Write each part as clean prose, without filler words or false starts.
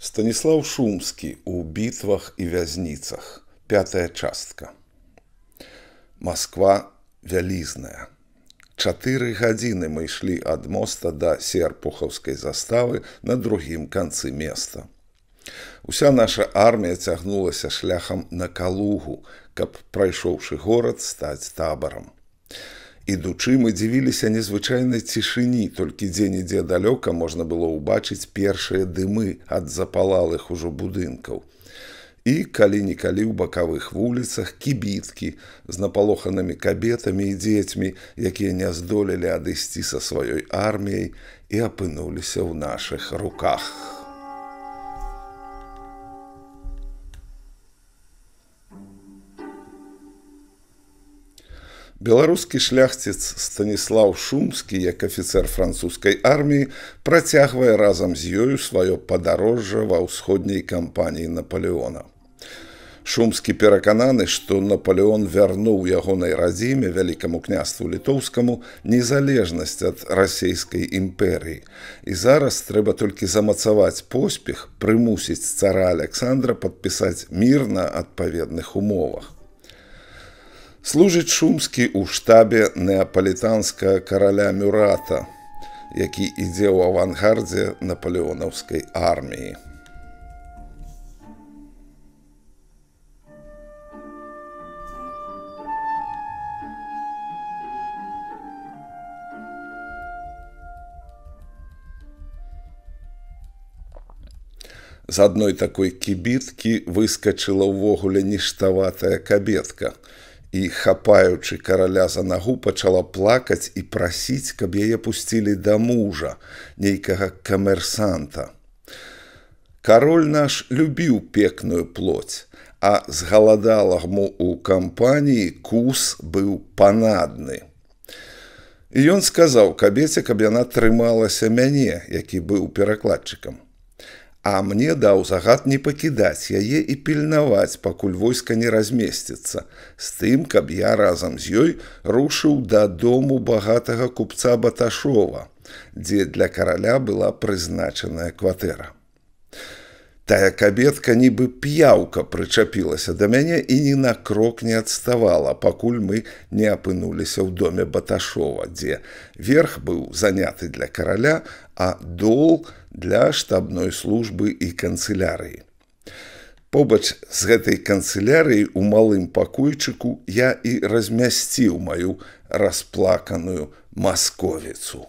Станіслаў Шумскі ў бітвах і вязніцах. 5-я частка. Масква вялізная. 4 гадзіны мы ішлі ад моста да Серпухаўскай заставы на другім канцы места. Уся наша армія цягнулася шляхам на Калугу, каб, прайшоўшы горад, стаць табарам. Ідучы, мы дзівіліся незвычайнай цішыні, толькі дзе-нідзе далёка можна было ўбачыць першыя дымы ад запалалых ужо будынкаў. І калі-нікалі ў бакавых вуліцах кібіткі з напалоханымі кабетамі і дзецьмі, якія не здолелі адысці са сваёй арміяй і апынуліся ў нашых руках. Беларускі шляхціц Станіслаў Шумскі, як афіцэр французскай арміі, працягвае разам з ёю сваё падарожжа ва ўсходняй кампаніі Напалеона. Шумскі перакананы, што Напалеон вярнуў ягонай радзіме, вялікаму княству літоўскаму, незалежнасць ад расейскай імперыі. І зараз трэба толькі замацаваць поспех, прымусіць цара Аляксандра падпісаць мір на адпаведных умовах. Служыць Шумскі ў штабе неапалітанскага караля Мюрата, які ідзе ў авангардзе напалеонаўскай арміі. З адной такой кібіткі выскачыла ўвогуле ніштаватая кабетка і, хапаючы караля за нагу, пачала плакаць і прасіць, каб яе пусцілі да мужа, нейкага камерсанта. Кароль наш любіў пекную плоць, а з галадаламу ў кампаніі кус быў панадны. І ён сказаў кабеце, каб яна трымалася мяне, які быў перакладчыкам. А мне даў загад не пакідаць яе і пільнаваць, пакуль войска не размесціцца, з тым, каб я разам з ёй рушыў да дому багатага купца Баташова, дзе для караля была прызначаная кватэра. Тая кабетка нібы п'яўка прычапілася да мяне і ні на крок не адставала, пакуль мы не апынуліся ў доме Баташова, дзе верх быў заняты для караля, а дол для штабной службы і канцылярыі. Побач з гэтай канцылярыяй у малым пакойчыку я і размясціў маю расплаканую масковіцу.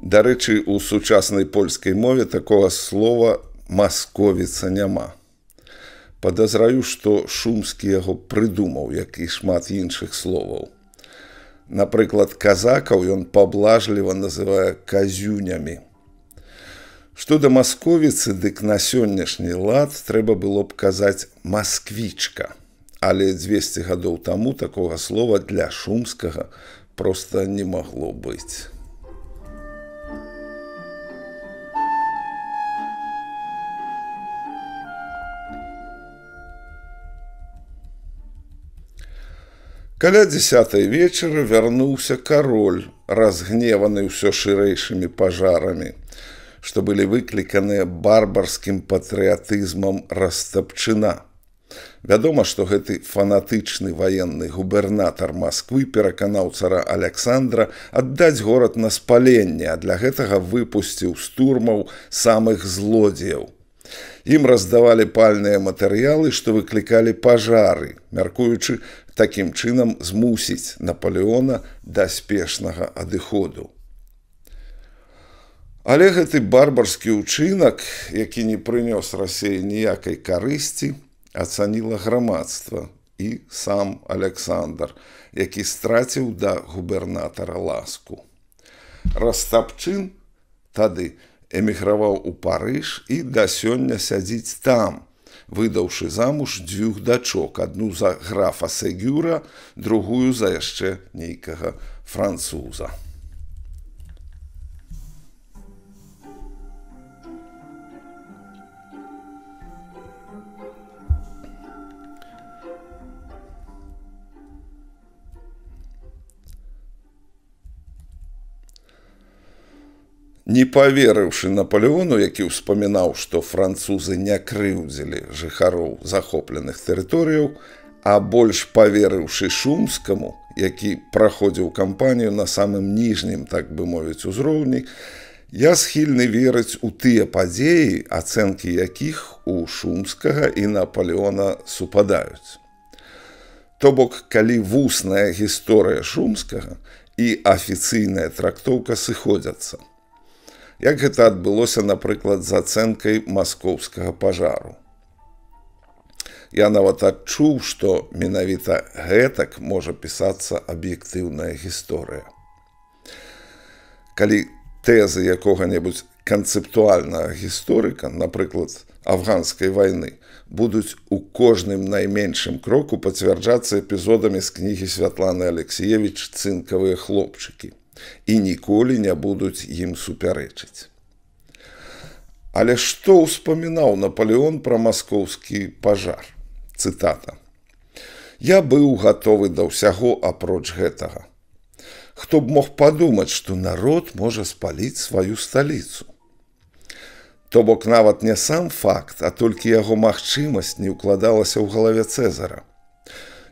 Дарэчы, у сучаснай польскай мове такога слова «масковіца» няма. Падазраю, што Шумскі яго прыдумаў, як і шмат іншых словаў. Напрыклад, казакаў ён паблажліва называе казюнямі. Што да масковіцы, дык на сённяшні лад трэба было б казаць «масквічка». Але 200 гадоў таму такога слова для Шумскага проста не магло быць. Каля 10-й вечара вярнуўся кароль, разгневаны ўсё шырэйшымі пажарамі, што былі выкліканыя барбарскім патрыятызмам Растапчына. Вядома, што гэты фанатычны ваенны губернатар Масквы пераканаў цара Аляксандра аддаць горад на спаленне, а для гэтага выпусціў з турмаў самых злодзеяў. Ім раздавалі пальныя матэрыялы, што выклікалі пажары, мяркуючы такім чынам змусіць Напалеона да спешнага адыходу. Але гэты барбарскі ўчынак, які не прынёс Расеі ніякай карысці, ацаніла грамадства і сам Аляксандр, які страціў да губернатара ласку. Растапчын тады эміграваў у Парыж і да сёння сядзіць там, выдаўшы замуж 2 дачок, адну за графа Сегюра, другую за яшчэ нейкага француза. Не паверыўшы Напалеону, які ўспамінаў, што французы не крыўдзілі жыхароў захопленых тэрыторыяў, а больш паверыўшы Шумскаму, які праходзіў кампанію на самым ніжнім, так бы мовіць, узроўні, я схільны верыць у тыя падзеі, ацэнкі якіх у Шумскага і Напалеона супадаюць. То бок, калі вусная гісторыя Шумскага і афіцыйная трактоўка сыходзяцца. Як гэта адбылося, напрыклад, з ацэнкай маскоўскага пажару. Я нават адчуў, што менавіта гэтак можа пісацца аб'ектыўная гісторыя. Калі тэзы якога-небудзь канцэптуальнага гісторыка, напрыклад, афганскай вайны, будуць у кожным найменшым кроку пацвярджацца эпізодамі з кнігі Святланы Алексіевіч «Цынкавыя хлопчыкі» і ніколі не будуць ім супярэчыць. Але што ўспамінаў Напалеон пра маскоўскі пажар? Цытата. «Я быў гатовы да ўсяго апроч гэтага. Хто б мог падумаць, што народ можа спаліць сваю сталіцу? То бок нават не сам факт, а толькі яго магчымасць не ўкладалася ў галаве Цэзара.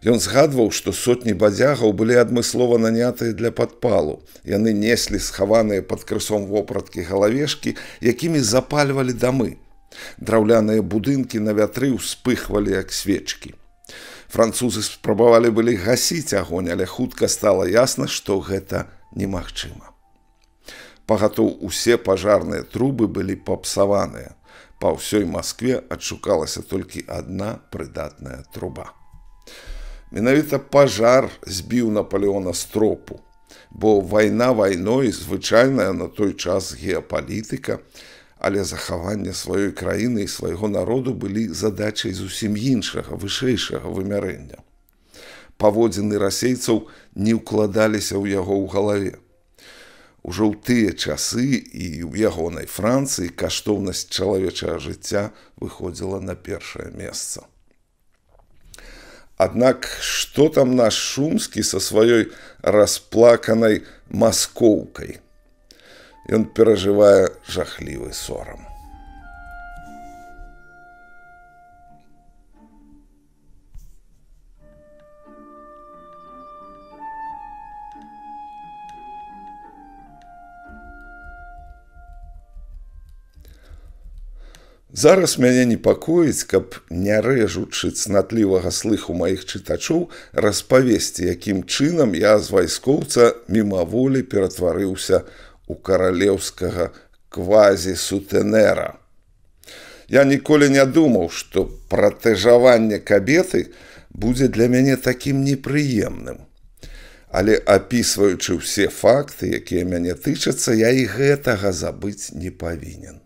Ён згадваў, што сотні бадзягаў былі адмыслова нанятыя для падпалу. Яны неслі схаваныя пад крысом вопраткі галавешкі, якімі запальвалі дамы. Драўляныя будынкі на вятры ўспыхвалі, як свечкі. Французы спрабавалі былі гасіць агонь, але хутка стала ясна, што гэта немагчыма. Пагатоў усе пажарныя трубы былі папсаваныя. Па ўсёй Маскве адшукалася толькі адна прыдатная труба. Менавіта пажар збіў Напалеона з тропу, бо вайна вайной, звычайная на той час геапалітыка, але захаванне сваёй краіны і свайго народу былі задачай зусім іншага, вышэйшага вымярэння. Паводзіны расейцаў не ўкладаліся ў яго ў галаве. Ужо ў тыя часы і ў ягонай Францыі каштоўнасць чалавечага жыцця выходзіла на першае месца. Аднак, што там наш Шумскі са сваёй расплаканай маскоўкай? Ён перажывае жахлівы сорам. Зараз мяне непакоіць, каб, не рэжучы цнатлівага слыху маіх чытачоў, распавесці, якім чынам я з вайскоўца мімаволі ператварыўся у каралеўскага квазі-сутэнэра. Я ніколі не думаў, што пратэжаванне кабеты будзе для мяне такім непрыемным. Але апісваючы ўсе факты, якія мяне тычацца, я і гэтага забыць не павінен.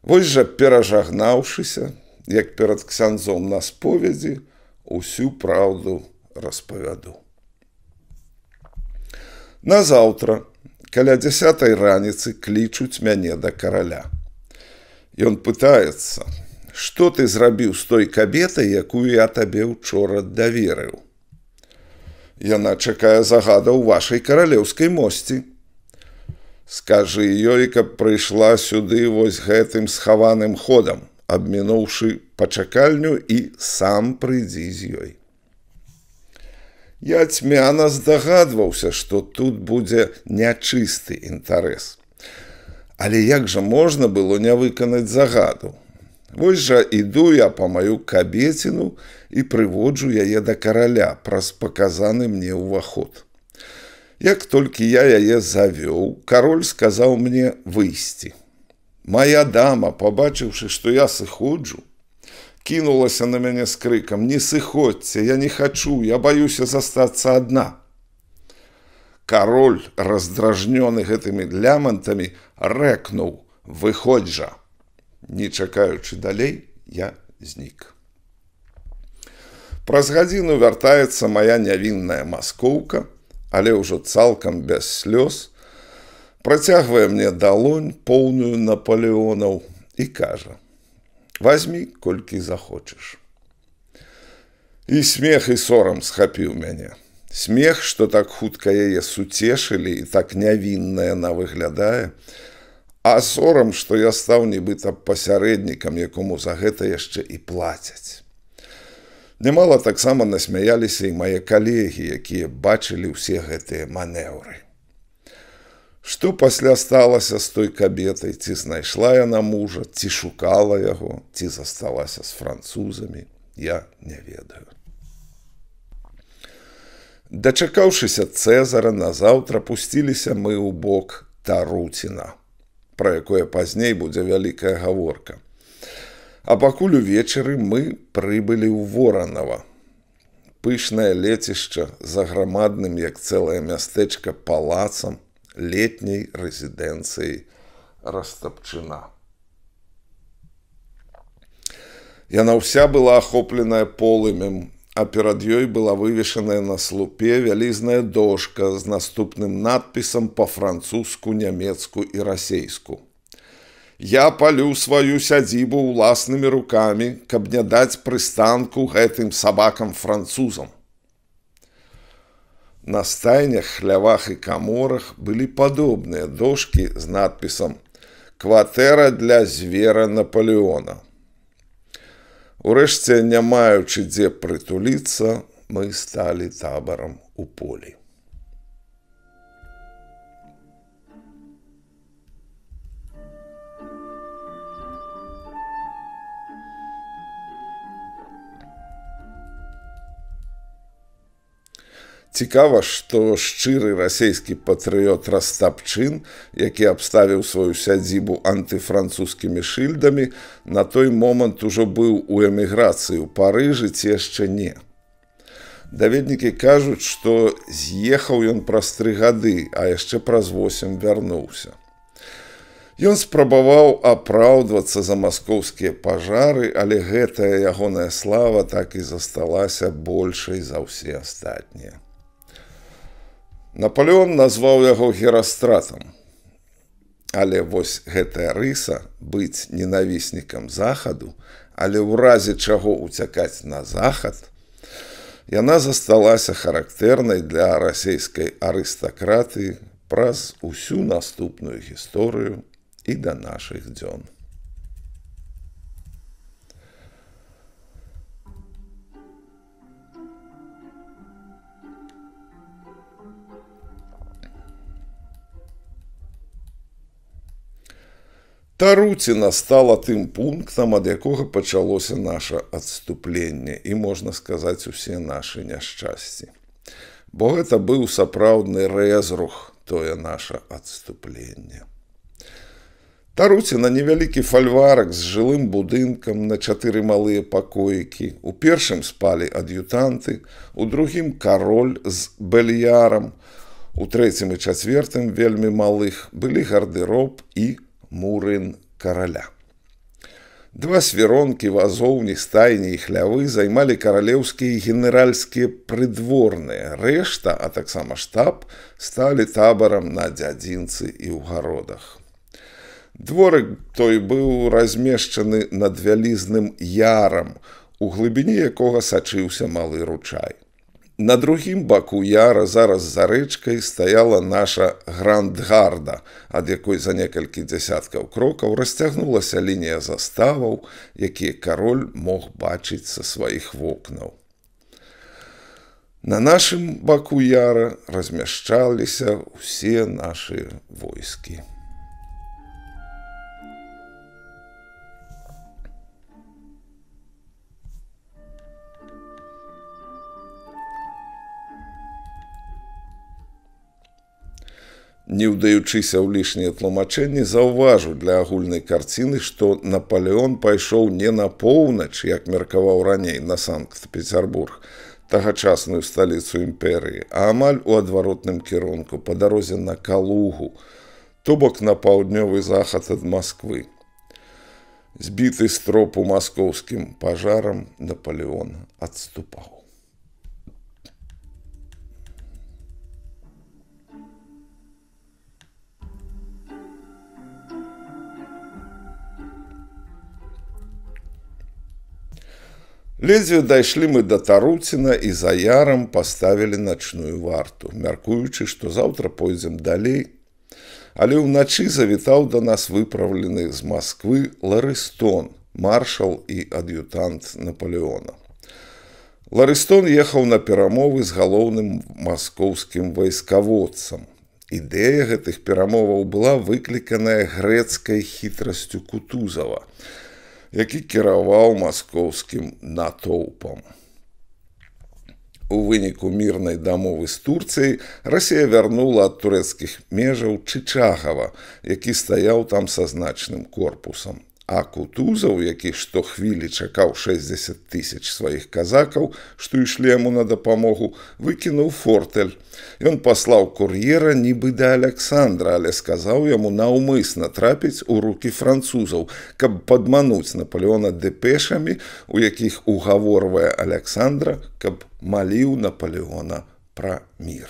Вось жа, перажагнаўшыся, як перад ксяндзом на споведзі, усю праўду распавяду. Назаўтра, каля 10-й раніцы, клічуць мяне да караля. Ён пытаецца, што ты зрабіў з той кабетай, якую я табе учора даверыў? Яна чакае загада ў вашай каралеўскай мосці. Скажы ёй, каб прыйшла сюды вось гэтым схаваным ходам, абмінуўшы пачакальню, і сам прыйдзі з ёй. Я цьмяна здагадваўся, што тут будзе нячысты інтарэс. Але як жа можна было не выканаць загаду? Вось жа іду я па маю кабеціну і прыводжу яе да караля праз паказаны мне ўваход. Як толькі я яе завёў, кароль сказаў мне выйсці. Мая дама, пабачыўшы, што я сыходжу, кінулася на мяне з крыкам: «Не сыходзьце, я не хачу, я баюся застацца адна». Кароль, раздражнёны гэтымі лямантамі, рэкнуў: «Выходзь жа». Не чакаючы далей, я знік. Праз гадзіну вяртаецца мая нявінная маскоўка, але ўжо цалкам без слёз, працягвае мне далонь, поўную Напалеонаў, і кажа: «Вазьмі, колькі захочаш». І смех і сорам схапіў мяне. Смех, што так хутка яе суцешылі і так нявінна яна выглядае, А сорам, што я стаў нібыта пасярэднікам, якому за гэта яшчэ і плацяць. Нямала таксама насмяяліся і мае калегі, якія бачылі ўсе гэтыя манеўры. Што пасля сталася з той кабетай, ці знайшла яна мужа, ці шукала яго, ці засталася з французамі, я не ведаю. Дачакаўшыся Цэзара, назаўтра пусціліся мы ў бок Таруціна, пра якое пазней будзе вялікая гаворка. А пакуль увечары мы прыбылі ў Воранава. Пышнае лецішча за грамадным, як цэлае мястэчка, палацам летняй рэзідэнцыі Растапчына. Яна ўся была ахопленая полымем, а перад ёй была вывешаная на слупе вялізная дошка з наступным надпісам па-французску, нямецку і расейску. «Я палю сваю сядзібу ўласнымі рукамі, каб не даць прыстанку гэтым сабакам-французам». На стайнях, хлявах і каморах былі падобныя дошкі з надпісам «Кватэра для звера Наполеона». Урэшце, не маючы дзе прытуліцца, мы сталі табарам у полі. Цікава, што шчыры расейскі патрыёт Растапчын, які абставіў сваю сядзібу антыфранцузскімі шыльдамі, на той момант ужо быў у эміграцыі ў Парыжы ці яшчэ не. Даведнікі кажуць, што з'ехаў ён праз 3 гады, а яшчэ праз 8 вярнуўся. Ён спрабаваў апраўдвацца за маскоўскія пажары, але гэтая ягоная слава так і засталася большай за ўсе астатнія. Напалеон назваў яго Герастратам. Але вось гэтая рыса быць ненавіснікам захаду, але ў разе чаго ўцякаць на захад, яна засталася характэрнай для расейскай арыстакратыі праз усю наступную гісторыю і да нашых дзён. Таруціна стала тым пунктам, ад якога пачалося наша адступленне і, можна сказаць, усе нашы няшчасці. Бо гэта быў сапраўдны рэзрух, тое наша адступленне. Таруціна невялікі фальварак з жылым будынкам на 4 малыя пакоікі. У першым спалі ад'ютанты, у другім кароль з бельярам, у трэцім і чацвертым, вельмі малых, былі гардэроб і мурын караля. 2 свіронкі, вазоўні, стайні і хлявы займалі каралеўскія і генеральскія прыдворныя. Рэшта, а таксама штаб, сталі табарам на дзядзінцы і ў гародах. Дворык той быў размешчаны над вялізным ярам, у глыбіні якога сачыўся малы ручай. На другім баку яра, зараз за рэчкай, стаяла наша грандгарда, ад якой за некалькі дзясяткаў крокаў расцягнулася лінія заставаў, якія кароль мог бачыць са сваіх вокнаў. На нашым баку яра размяшчаліся ўсе нашы войскі. Не ўдаючыся ў лішнія тлумачэнні, заўважу для агульнай карціны, што Напалеон пайшоў не на поўнач, як меркаваў раней, на Санкт-Пецярбург, тагачасную сталіцу імперыі, а амаль у адваротным кірунку, па дарозе на Калугу, то бок на паўднёвы захад ад Масквы. Збіты з тропу маскоўскім пажарам, Напалеон адступаў. Ледзьве дайшлі мы да Таруціна і за ярам паставілі начную варту, мяркуючы, што заўтра пойдзем далей, Але ўначы завітаў да нас выпраўлены з Масквы Ларыстон, маршал і ад'ютант Напалеона. Ларыстон ехаў на перамовы з галоўным маскоўскім вайскаводцам. Ідэя гэтых перамоваў была выкліканая грэцкай хітрасцю Кутузава, які кіраваў маскоўскім натоўпам. У выніку мірнай дамовы з Турцыяй Расія вярнула ад турэцкіх межаў Чычагава, які стаяў там са значным корпусам. А Кутузаў, які штохвілі чакаў 60 000 сваіх казакаў, што ішлі яму на дапамогу, выкінуў фортэль. Ён паслаў кур'ера нібы да Аляксандра, але сказаў яму наўмысна трапіць у рукі французаў, каб падмануць Напалеона дэпешамі, у якіх угаворвае Аляксандра, каб маліў Напалеона пра мір.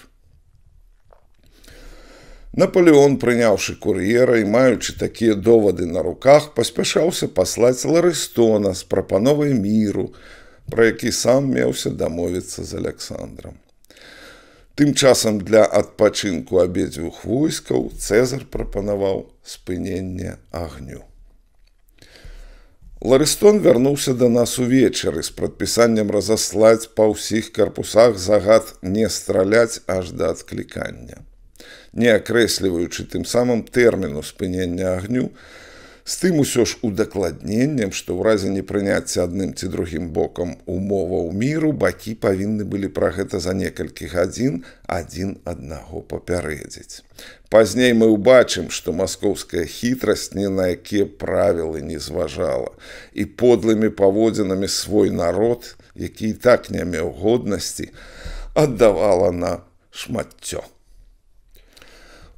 Напалеон, прыняўшы кур'ера і маючы такія довады на руках, паспяшаўся паслаць Ларыстона з прапановай міру, пра які сам меўся дамовіцца з Аляксандрам. Тым часам для адпачынку абедзвюх войскаў Цэзар прапанаваў спыненне агню. Ларыстон вярнуўся да нас увечары з прадпісаннем разаслаць па ўсіх карпусах загад не страляць аж да адклікання, не акрэсліваючы тым самым тэрміну спынення агню, з тым усё ж удакладненнем, што ў разе непрыняцця адным ці другім бокам умоваў міру бакі павінны былі пра гэта за некалькі гадзін адзін аднаго папярэдзіць. Пазней мы ўбачым, што маскоўская хітрасць ні на якія правілы не зважала і подлымі паводзінамі свой народ, які і так не меў годнасці, аддавала на шматцё.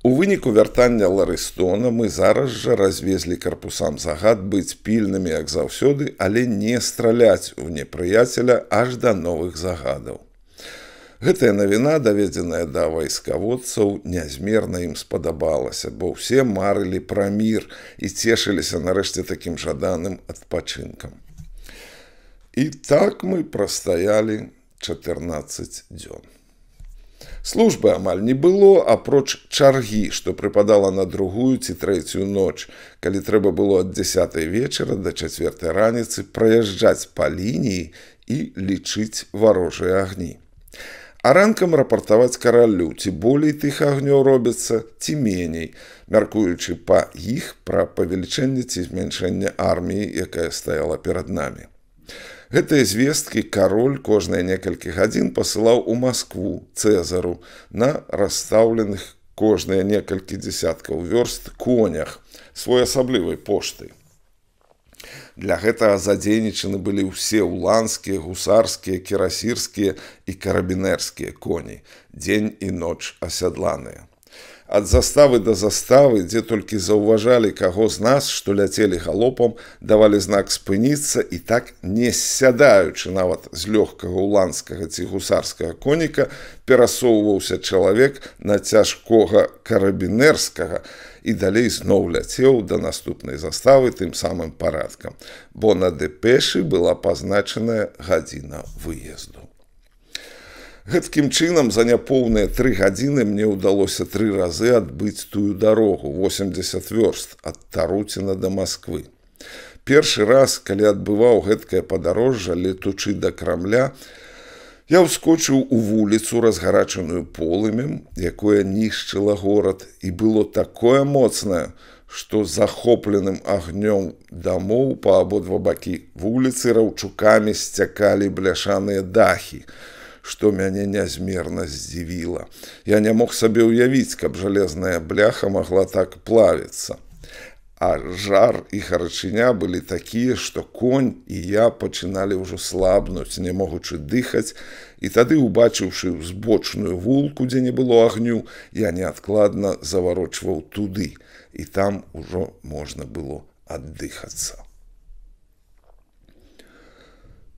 У выніку вяртання Ларыстона мы зараз жа развезлі карпусам загад быць пільнымі, як заўсёды, але не страляць у непрыяцеля аж да новых загадаў. Гэтая навіна, даведзеная да вайскаводцаў, нязмерна ім спадабалася, бо ўсе марылі пра мір і цешыліся нарэшце такім жаданым адпачынкам. І так мы прастаялі 14 дзён. Службы амаль не было, апроч чаргі, што прыпадала на другую ці трэцюю ноч, калі трэба было ад 10 вечара да 4 раніцы праязджаць па лініі і лічыць варожыя агні. А ранкам рапартаваць каралю, ці болей тых агнёў робіцца, ці меней, мяркуючы па іх пра павелічэнне ці змяншэнне арміі, якая стаяла перад намі. Гэтыя звесткі кароль кожныя некалькі гадзін пасылаў у Маскву Цэзару на расстаўленых кожныя некалькі дзесяткаў вёрст конях своеасаблівай поштай. Для гэтага задзейнічаны былі ўсе уланскія, гусарскія, кірасірскія і карабінерскія коні, дзень і ноч асядланыя. Ад заставы да заставы, дзе толькі заўважалі каго з нас, што ляцелі галопам, давалі знак спыніцца і так, не сядаючы нават з лёгкага уланскага ці гусарскага коніка, перасоўваўся чалавек на цяжкога карабінерскага і далей зноў ляцеў да наступнай заставы тым самым парадкам, бо на дэпешы была пазначаная гадзіна выезду. Гэткім чынам за няпоўныя 3 гадзіны мне ўдалося 3 разы адбыць тую дарогу, 80 вёрст, ад Таруціна да Масквы. Першы раз, калі адбываў гэткае падарожжа, летучы да Крамля, я ўскочыў у вуліцу, разгарачаную полымем, якое нішчыла горад, і было такое моцнае, што захопленым агнём дамоў па абодва бакі вуліцы раўчукамі сцякалі бляшаныя дахі, што мяне нязмерна здзівіла. Я не мог сабе ўявіць, каб жалезная бляха магла так плавіцца. А жар і гарачыня былі такія, што конь і я пачыналі ўжо слабнуць, не могучы дыхаць, і тады, убачыўшы збочную вулку, дзе не было агню, я неадкладна заварочваў туды, і там ужо можна было аддыхацца.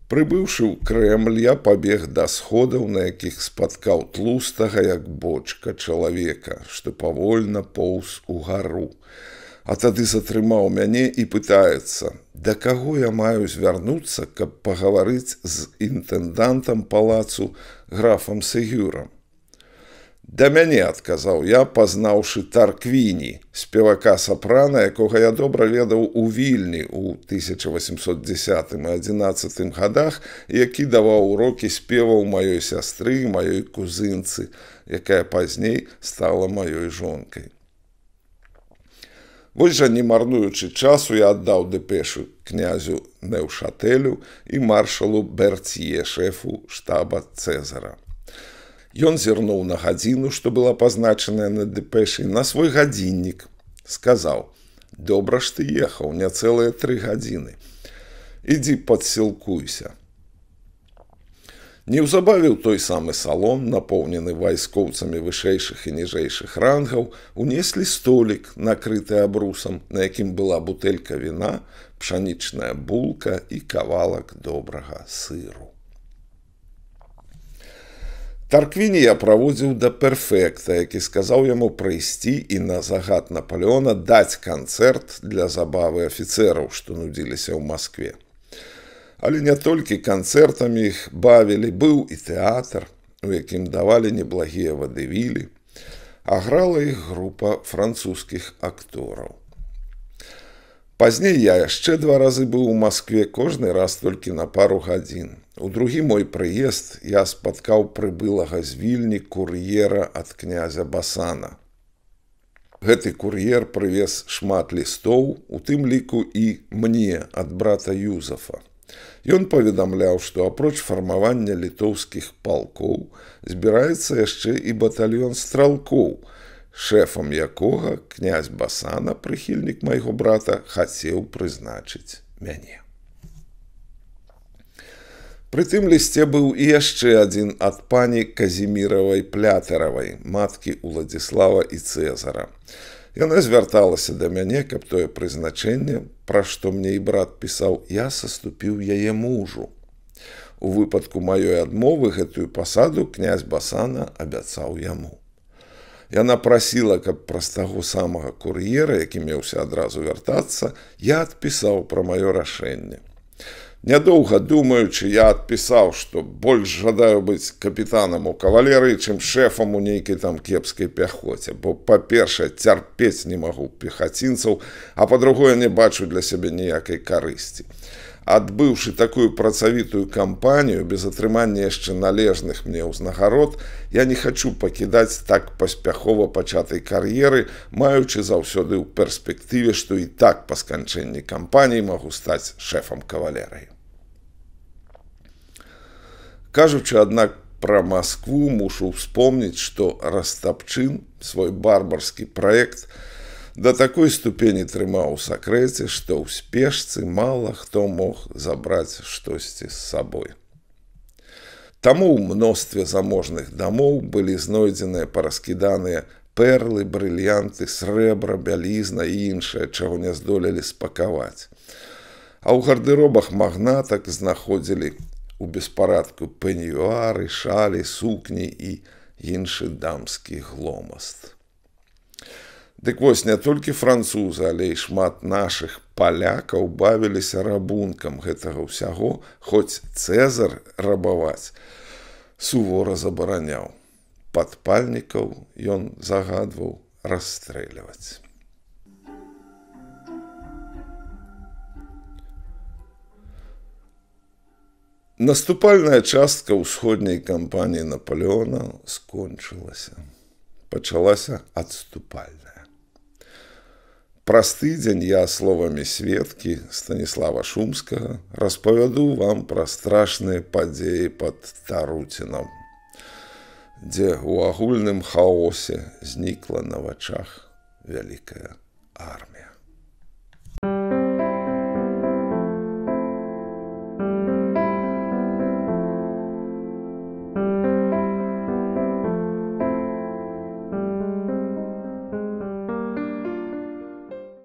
Прыбыўшы ў Крэмль, я пабег да сходаў, на якіх спаткаў тлустага, як бочка, чалавека, што павольна поўз угару. А тады затрымаў мяне і пытаецца, да каго я маю звярнуцца, каб пагаварыць з інтэндантам палацу графам Сегюрам. Да мяне, адказаў я, пазнаўшы Тарквіні, спевака сапрана, якога я добра ведаў у Вільні ў 1810 і 11 годах, які даваў урокі спеваў маёй сястры, маёй кузынцы, якая пазней стала маёй жонкай. Вось жа, не марнуючы часу, я аддаў дэпешу князю Неўшатэлю і маршалу Бертье, шэфу штаба Цэзара. Ён зірнуў на гадзіну, што была пазначаная на дэпэшы, на свой гадзіннік. Сказаў: «Добра ж ты ехаў, не цэлыя 3 гадзіны. Ідзі падсілкуйся». Неўзабаве ў той самы салон, напоўнены вайскоўцамі вышэйшых і ніжэйшых рангаў, унеслі столік, накрыты абрусам, на якім была бутэлька віна, пшанічная булка і кавалак добрага сыру. Тарквіні я праводзіў да перфекта, які сказаў яму прыйсці і на загад Наполеона даць канцэрт для забавы афіцэраў, што нудзіліся ў Маскве. Але не толькі канцэртамі іх бавілі, быў і тэатр, у якім давалі неблагія вадывілі, а грала іх група французскіх актораў. Пазней я яшчэ 2 разы быў у Маскве, кожны раз толькі на пару гадзін. У другі мой прыезд я спаткаў прыбылага з Вільні кур'ера ад князя Басана. Гэты кур'ер прывез шмат лістоў, у тым ліку і мне ад брата Юзафа. Ён паведамляў, што апроч фармавання літоўскіх палкоў збіраецца яшчэ і батальён стралкоў, шэфам якога князь Басана, прыхільнік майго брата, хацеў прызначыць мяне. Пры тым лісце быў і яшчэ адзін ад пані Казіміравай Плятэравай, маткі Уладзіслава і Цэзара. Яна звярталася да мяне, каб тое прызначэнне, пра што мне і брат пісаў, я саступіў яе мужу. У выпадку маёй адмовы гэтую пасаду князь Басана абяцаў яму. Яна прасіла, каб праз таго самага кур'ера, які меўся адразу вяртацца, я адпісаў пра маё рашэнне. Нядоўга думаючы, я адпісаў, што больш жадаю быць капітанам у кавалерыі, чым шэфам у нейкай там кепскай пяхоце, бо, па-першае, цярпець не магу пехацінцаў, а па-другое, не бачу для сябе ніякай карысці. Адбыўшы такую працавітую кампанію, без атрымання яшчэ належных мне ўзнагарод, я не хачу пакідаць так паспяхова пачатай кар'еры, маючы заўсёды ў перспектыве, што і так па сканчэнні кампаніі магу стаць шэфам кавалерыі. Кажучы, аднак, пра Маскву мушу ўспомніць, што Растапчын свой барбарскі праект да такой ступені трымаў у сакрэце, што ў спешцы мала хто мог забраць штосьці з сабой. Таму ў мностве заможных дамоў былі знойдзеныя параскіданыя перлы, брыльянты, срэбра, бялізна і іншае, чаго не здолелі спакаваць. А ў гардэробах магнатак знаходзілі у беспарадку пеньюары, шалі, сукні і іншы дамскі гломаст. Дык вось, не толькі французы, але і шмат нашых палякаў бавіліся рабункам гэтага ўсяго, хоць Цэзар рабаваць сувора забараняў. Падпальнікаў ён загадваў расстрэльваць. Наступальная частка ўсходняй кампаніі Наполеона скончылася. Пачалася адступальная. Праз тыдзень я словамі сведкі Станіслава Шумскага распавяду вам пра страшныя падзеі пад Таруцінам, дзе ў агульным хаосе знікла на вачах вялікая армія.